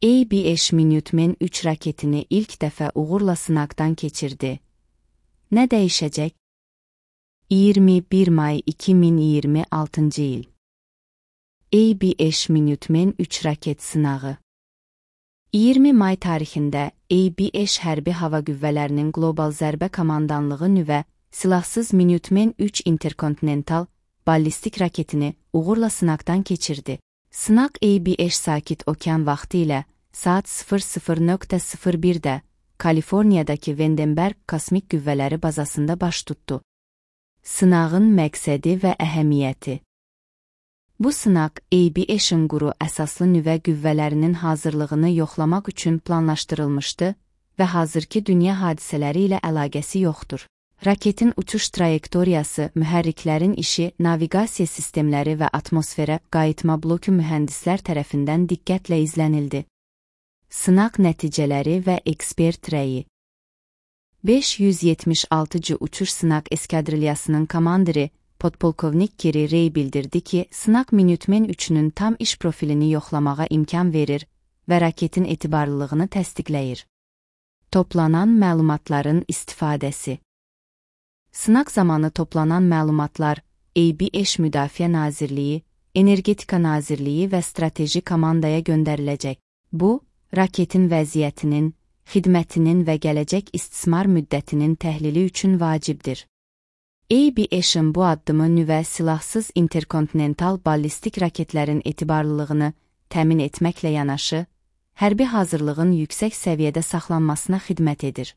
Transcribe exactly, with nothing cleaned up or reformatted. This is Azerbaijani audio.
A B H Minuteman üç raketini ilk dəfə uğurla sınaqdan keçirdi. Nə dəyişəcək? iyirmi bir may iki min iyirmi altıncı il. A B H Minuteman üç raket sınağı. iyirmi may tarixində A B H Hərbi Hava Qüvvələrinin Qlobal Zərbə Komandanlığı nüvə silahsız Minuteman üç interkontinental ballistik raketini uğurla sınaqdan keçirdi. Sınaq A B H Sakit Okean vaxtı ilə saat sıfır sıfır nöqtə sıfır birdə Kaliforniyadakı Vandenberg Kosmik Qüvvələri bazasında baş tutdu. Sınağın məqsədi və əhəmiyyəti. Bu sınaq A B H-in quru əsaslı nüvə qüvvələrinin hazırlığını yoxlamaq üçün planlaşdırılmışdı və hazırki dünya hadisələri ilə əlaqəsi yoxdur. Raketin uçuş trayektoriyası, mühərriklərin işi, naviqasiya sistemləri və atmosferə qayıtma bloku mühəndislər tərəfindən diqqətlə izlənildi. Sınaq nəticələri və ekspert rəyi. beş yüz yetmiş altıncı Uçuş Sınaq Eskadrilyasının komandiri podpolkovnik Kerry Ray bildirdi ki, sınaq Minuteman üçünün tam iş profilini yoxlamağa imkan verir və raketin etibarlılığını təsdiqləyir. Toplanan məlumatların istifadəsi. Sınaq zamanı toplanan məlumatlar A B H Müdafiə Nazirliyi, Energetika Nazirliyi və Strateji Komandaya göndəriləcək. Bu, raketin vəziyyətinin, xidmətinin və gələcək istismar müddətinin təhlili üçün vacibdir. A B H-in bu addımı nüvə silahsız interkontinental ballistik raketlərin etibarlılığını təmin etməklə yanaşı, hərbi hazırlığın yüksək səviyyədə saxlanmasına xidmət edir.